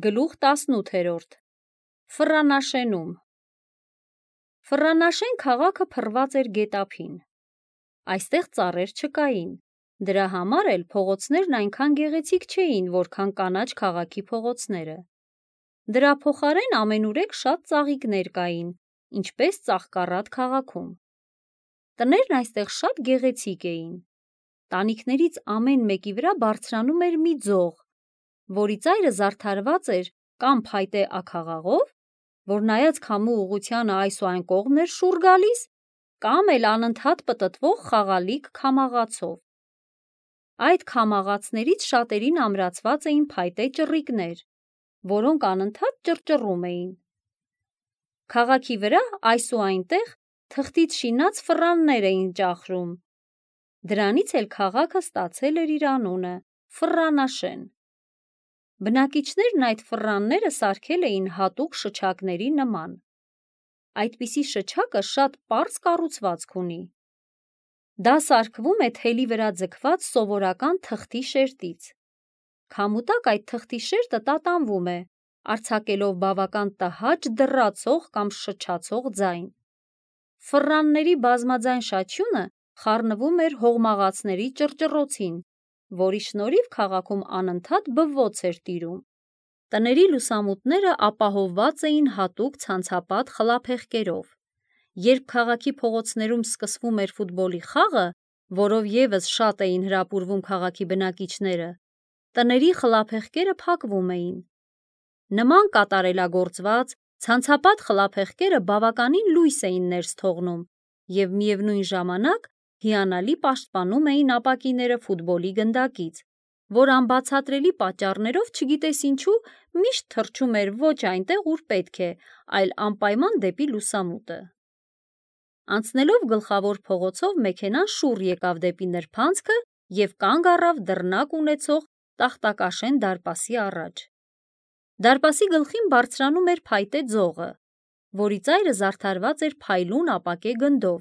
Գլուխ 18 Ֆռանաշենում Ֆռանաշեն քաղաքը փռված էր գետափին։ Այստեղ ծառեր չկային, դրա համար էլ փողոցներն այնքան գեղեցիկ չէին, որքան կանաչ քաղաքի փողոցները։ Դրա փոխարեն ամենուրեք շատ ծաղիկներ կային, ինչպես Ծաղկառատ քաղաքում։ Տներն այստեղ շատ գեղեցիկ էին։ Տանիքներից ամեն մեկի վրա բարձրանում էր մի ձող, որի ծայրը զարդարված էր կամ փայտե աքաղաղով, որ նայած քամու ուղղությանը այս ու այն կողմն էր շուռ գալիս, կամ էլ անընդհատ պտտվող խաղալիք քամաղացով։ Այդ քամաղացներից շատերին ամրացված էին փայտե ճռիկներ, որոնք անընդհատ ճռճռում էին։ Քաղաքի վրա այս ու այնտեղ թղթից շինած ֆռաններ էին ճախրում։ Դրանից էլ քաղաքը ստացել էր իր անունը՝ Ֆռանաշեն։ Բնակիչներն այդ ֆռանները սարքել էին հատուկ շչակների նման։ Այդպիսի շչակը շատ պարզ կառուցվածք ունի։ Դա սարքվում է թելի վրա ձգված սովորական թղթի շերտից։ Քամու տակ այդ թղթի շերտը տատանվում է, արձակելով բավական տհաճ դռացող կամ շչացող ձայն։ Ֆռանների բազմաձայն շաչյունը խառնվում էր հողմաղացների ճռճռոցին, որի շնորհիվ քաղաքում անընդհատ բվոց էր տիրում։ Տների լուսամուտները ապահովված էին հատուկ ցանցապատ խլափեղկերով։ Երբ քաղաքի փողոցներում սկսվում էր ֆուտբոլի խաղը, որով ևս շատ էին հրապուրվում քաղաքի բնակիչները, տների խլափեղկերը փակվում էին։ Նման կատարելագործված ցանցապատ խլափեղկերը բավականին լույս էին ներս թողնում և միևնույն ժամանակ հիանալի պաշտպանում էին ապակիները ֆուտբոլի գնդակից, որ անբացատրելի պատճառներով չգիտես ինչու միշտ թռչում էր ոչ այնտեղ, ուր պետք է, այլ անպայման դեպի լուսամուտը։ Անցնելով գլխավոր փողոցով մեքենան շուռ եկավ դեպի նրբանցքը և կանգ առավ դռնակ ունեցող տախտակաշեն դարպասի առաջ։ Դարպասի գլխին բարձրանում էր փայտե ձողը, որի ծայրը զարդարված էր փայլուն ապակե գնդով։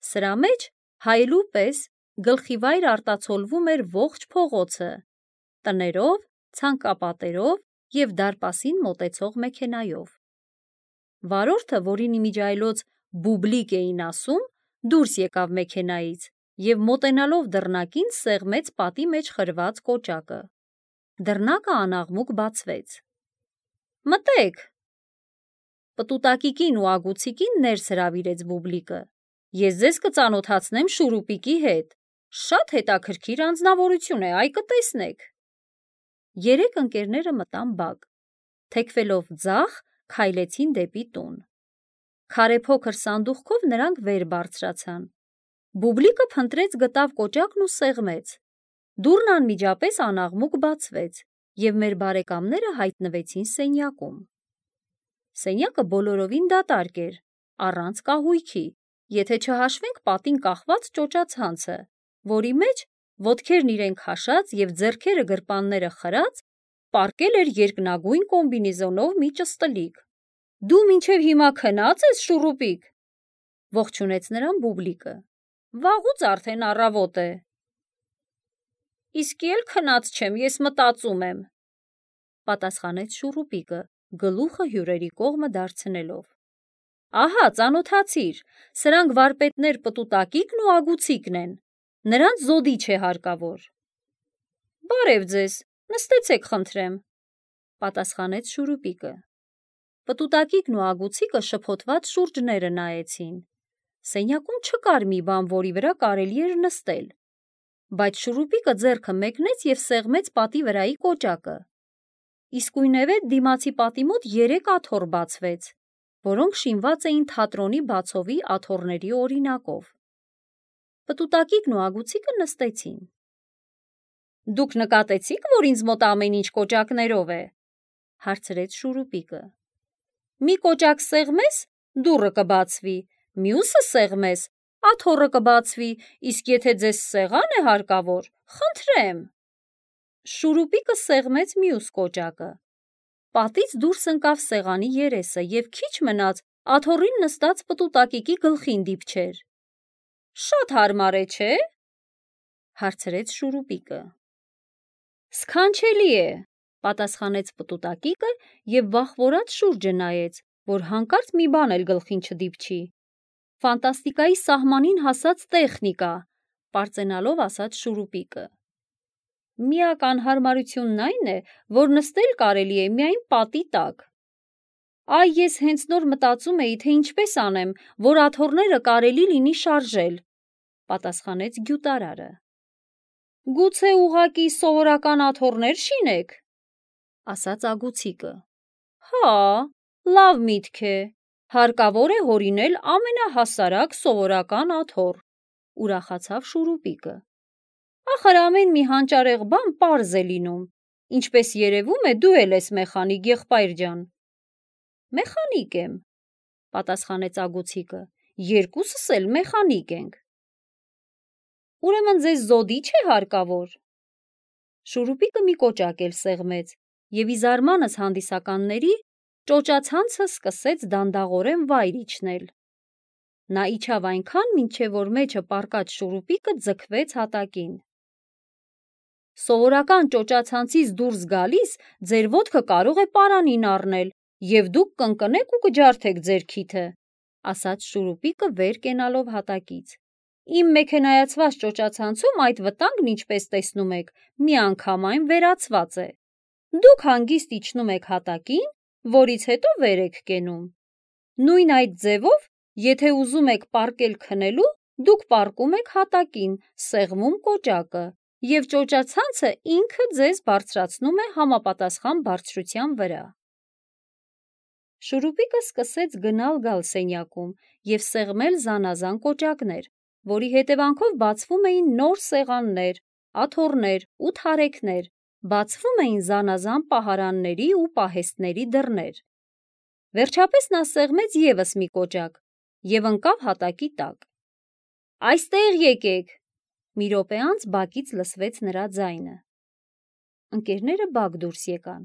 Սրա մեջ, հայելու պես, գլխիվայր արտացոլվում էր ողջ փողոցը՝ տներով, ցանկապատերով և դարպասին մոտեցող մեքենայով։ Վարորդը, որին իմիջիայլոց բուբլիկ էին ասում, դուրս եկավ մեքենայից և մոտենալով դռնակին սեղմեց պատի մեջ խրված կոճակը։ Դռնակը անաղմուկ բացվեց։ «Մտե՛ք»։ Պտուտակիկին ու ագուցիկին ներս հրավիրեց բուբլիկը։ «Ես ձեզ կծանոթացնեմ Շուրուպիկի հետ։ Շատ հետաքրքիր անձնավորություն է, այ կտեսնեք»։ Երեք ընկերները մտան բակ։ Թեքվելով ձախ, քայլեցին դեպի տուն։ Քարե փոքր սանդուղքով նրանք վեր բարձրացան։ Բուբլիկը փնտրեց գտավ կոճակն ու սեղմեց։ Դուռն անմիջապես անաղմուկ բացվեց, և մեր բարեկամները հայտնվեցին սենյակում։ Սենյակը բոլորովին դատարկ էր, առանց կահույքի, եթե չհաշվենք պատին կախված ճոճացանցը, որի մեջ, ոտքերն իրեն քաշած և ձեռքերը գրպանները խրած, պառկել էր երկնագույն կոմբինեզոնով մի ճստլիկ։ «Դու մինչև հիմա քնած ես, Շուրուպիկ», ողջունեց նրան բուբլիկը։ «Վաղուց արդեն առավոտ է»։ «Իսկի էլ քնած չեմ, ես մտածում եմ», պատասխանեց Շուրուպիկը, գլուխը հյուրերի կողմը դարձնելով։ «Ահա, ծանոթացիր, սրանք վարպետներ Պտուտակիկն ու Ագուցիկն են, նրանց զոդիչ է հարկավոր»։ «Բարև ձեզ, նստեցեք խնդրեմ», պատասխանեց Շուրուպիկը։ Պտուտակիկն ու Ագուցիկը շփոթված շուրջները նայեցին։ Սենյակում չկար մի բան, որի վրա կարելի էր նստել, բայց Շուրուպիկը ձեռքը մեկնեց և սեղմեց պատի վրայի կոճակը։ Իսկույնևեթ դիմացի պատի մոտ 3 աթոռ բացվեց, որոնք շինված էին թատրոնի բացովի աթոռների օրինակով։ Պտուտակիկն ու Ագուցիկը նստեցին։ «Դուք նկատեցի՞ք, որ ինձ մոտ ամեն ինչ կոճակներով է», հարցրեց Շուրուպիկը։ «Մի կոճակ սեղմես, դուռը կբացվի, մյուսը սեղմես, աթոռը կբացվի, իսկ եթե ձեզ սեղան է հարկավոր, խնդրեմ»։ Շուրուպիկը սեղմեց մյուս կոճակը։ Պատից դուրս ընկավ սեղանի երեսը և քիչ մնաց աթոռին նստած Պտուտակիկի գլխին դիպչեր։ «Շատ հարմար է, չէ՞», հարցրեց Շուրուպիկը։ «Սքանչելի է», պատասխանեց պտուտակիկը և վախվորած շուրջը նայեց, որ հանկարծ մի բան էլ գլխին չդիպչի։ Ֆանտաստիկայի սահմանին հասած տեխնիկա, պարծենալով ասաց Շուրուպիկը։ Միակ անհարմարությունն այն է, որ նստել կարելի է միայն պատի տակ։ Այ ես հենց նոր մտածում էի, թե ինչպես անեմ, որ աթոռները կարելի լինի շարժել, պատասխանեց գյուտարարը։ Գուցե ուղղակի սովորական աթոռներ շինեք, ասաց ագուցիկը։ Հա, լավ միտք է, հարկավոր է հորինել ամենահասարակ սովորական աթոռ, ուրախացավ Շուրուպիկը։ Ախր ամեն մի հանճարեղ բան պարզ է լինում, ինչպես երևում է դու էլ ես մեխանիկ, եղբայր ջան։ Մեխանիկ եմ, պատասխանեց ագուցիկը, երկուսս էլ մեխանիկ ենք։ Ուրեմն ձեզ զոդի չէ հարկավոր։ Շուրուպիկը մի կոճակ էլ սեղմեց և ի զարմանս հանդիսականների ճոճացանցը սկսեց դանդաղորեն վայր իջնել։ Նա իջավ այնքան, մինչև որ մեջը պառկած Շուրուպիկը ձգվեց հատակին։ Սովորական ճոճացանցից դուրս գալիս ձեր ոտքը կարող է պարանին առնել և դուք կընկնեք ու կջարդեք ձեր քիթը, ասաց Շուրուպիկը վեր կենալով հատակից։ Իմ մեքենայացված ճոճացանցում այդ վտանգն, ինչպես տեսնում եք, միանգամայն վերացված է։ Դուք հանգիստ իջնում եք հատակին, որից հետո վեր եք կենում։ Նույն այդ ձևով, եթե ուզում եք պառկել քնելու, դուք պառկում եք հատակին, սեղմում կոճակը, և ճոճացանցը ինքը ձեզ բարձրացնում է համապատասխան բարձրության վրա։ Շուրուպիկը սկսեց գնալ-գալ սենյակում և սեղմել զանազան կոճակներ, որի հետևանքով բացվում էին նոր սեղաններ, աթոռներ ու թարեքներ, բացվում էին զանազան պահարանների ու պահեստների դռներ։ Վերջապես նա սեղմեց ևս մի կոճակ և ընկավ հատակի տակ։ Այստեղ եկեք, մի րոպե անց բակից լսվեց նրա ձայնը։ Ընկերները բակ դուրս եկան։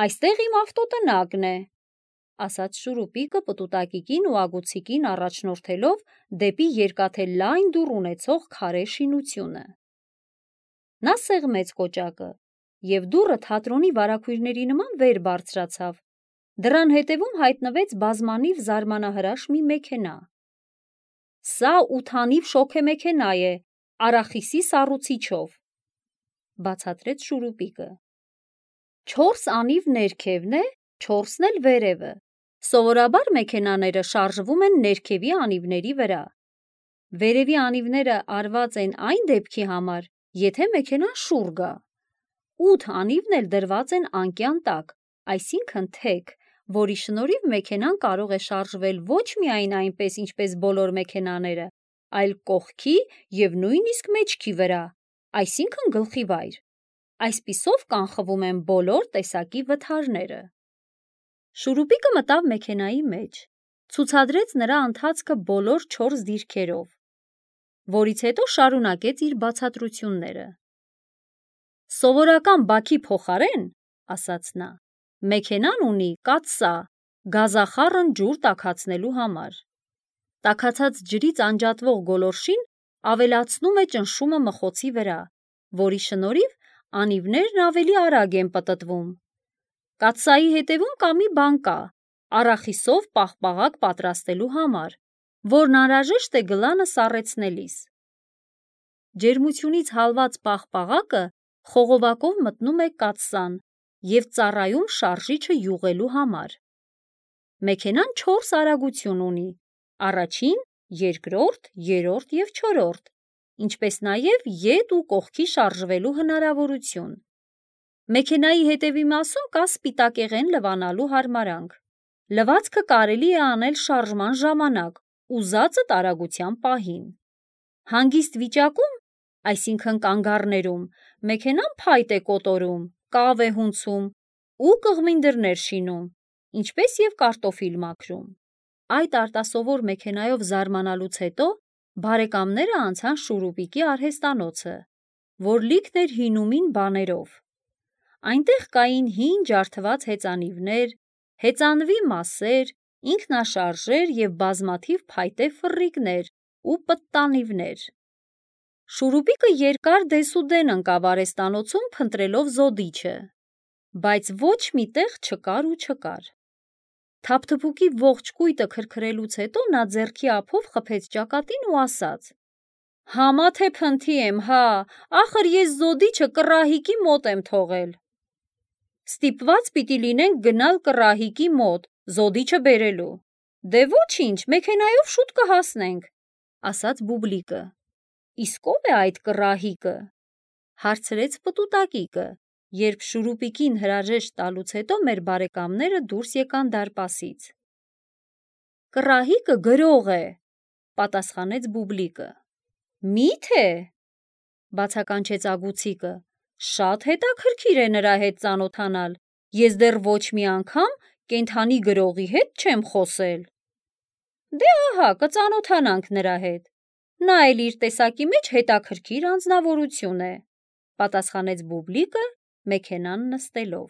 Այստեղ իմ ավտոտնակն է, ասաց Շուրուպիկը պտուտակիկին ու ագուցիկին առաջնորդելով դեպի երկաթե լայն դուռ ունեցող քարե շինությունը։ Նա սեղմեց կոճակը, և դուռը թատրոնի վարագույրների նման վեր բարձրացավ։ Դռան հետևում հայտնվեց բազմանիվ զարմանահրաշ մի մեքենա։ Սա 8-անիվ շոգեմեքենա է, արախիսի սառուցիչով, բացատրեց Շուրուպիկը։ 4 անիվ ներքևն է, 4-ն էլ վերևը։ Սովորաբար մեքենաները շարժվում են ներքևի անիվների վրա։ Վերևի անիվները արված են այն դեպքի համար, եթե մեքենան շուռ գա։ 8 անիվն էլ դրված են անկյան տակ, այսինքն թեք, որի շնորհիվ մեքենան կարող է շարժվել ոչ միայն այնպես, ինչպես բոլոր մեքենաները, այլ կողքի և նույնիսկ մեջքի վրա, այսինքն գլխի վայր։ Այսպիսով կանխվում են բոլոր տեսակի վթարները։ Շուրուպիկը մտավ մեքենայի մեջ, ցուցադրեց նրա ընթացքը բոլոր 4 դիրքերով, որից հետո շարունակեց իր բացատրությունները։ Սովորական բաքի փոխարեն, ասաց նա, մեքենան ունի կաթսա, գազախառն ջուր տաքացնելու համար։ Տաքացած ջրից անջատվող գոլորշին ավելացնում է ճնշումը մխոցի վրա, որի շնորհիվ անիվներն ավելի արագ են պտտվում։ Կաթսայի հետևում կա մի բան կա, արախիսով պաղպաղակ պատրաստելու համար, որն անհրաժեշտ է գլանը սառեցնելիս։ Ջերմությունից հալված պաղպաղակը խողովակով մտնում է կաթսան և ծառայում շարժիչը յուղելու համար։ Մեքենան 4 արագություն ունի՝ առաջին, երկրորդ, երրորդ և չորրորդ, ինչպես նաև ետ ու կողքի շարժվելու հնարավորություն։ Մեքենայի հետևի մասում կա սպիտակեղեն լվանալու հարմարանք։ Լվացքը կարելի է անել շարժման ժամանակ, ուզածդ արագության պահին։ Հանգիստ վիճակում, այսինքն կանգառներում, մեքենան փայտ է կոտորում, կավ է հունցում ու կղմին դռներ շինում, ինչպես և կարտոֆիլ մաքրում։ Այդ արտասովոր մեքենայով զարմանալուց հետո բարեկամները անցան Շուրուպիկի արհեստանոցը, որ լիքն էր հինումին բաներով։ Այնտեղ կային հին ջարդված հեծանիվներ, հեծանվի մասեր, ինքնաշարժեր և բազմաթիվ փայտե ֆռռիկներ ու պտտանիվներ։ Շուրուպիկը երկար դեսուդեն ընկավ արհեստանոցում փնտրելով զոդիչը։ բայց ոչ մի տեղ չկար ու չկար։ Թափթփուկի ողջ կույտը քրքրելուց հետո նա ձեռքի ափով խփեց ճակատին ու ասաց. «Համա թե փնթի եմ, հա, ախր ես զոդիչը կռահիկի մոտ եմ թողել»։ Ստիպված պիտի լինենք գնալ կռահիկի մոտ, զոդիչը բերելու։ Դե ոչինչ, մեքենայով շուտ կհասնենք, ասաց Բուբլիկը։ Իսկ ո՞վ է այդ կռահիկը, հարցրեց պտուտակիկը, երբ շուրուպիկին հրաժեշտ տալուց հետո մեր բարեկամները դուրս եկան դարպասից։ Կռահիկը գրող է, պատասխանեց Բուբլիկը։ Մի՞թե, բացականչեց Ագուցիկը, շատ հետաքրքիր է նրա հետ ծանոթանալ, ես դեռ ոչ մի անգամ կենդանի գրողի հետ չեմ խոսել։ Դե ահա, կծանոթանանք նրա հետ, նա էլ իր տեսակի մեջ հետաքրքիր անձնավորություն է, պատասխանեց Բուբլիկը մեքենան նստելով։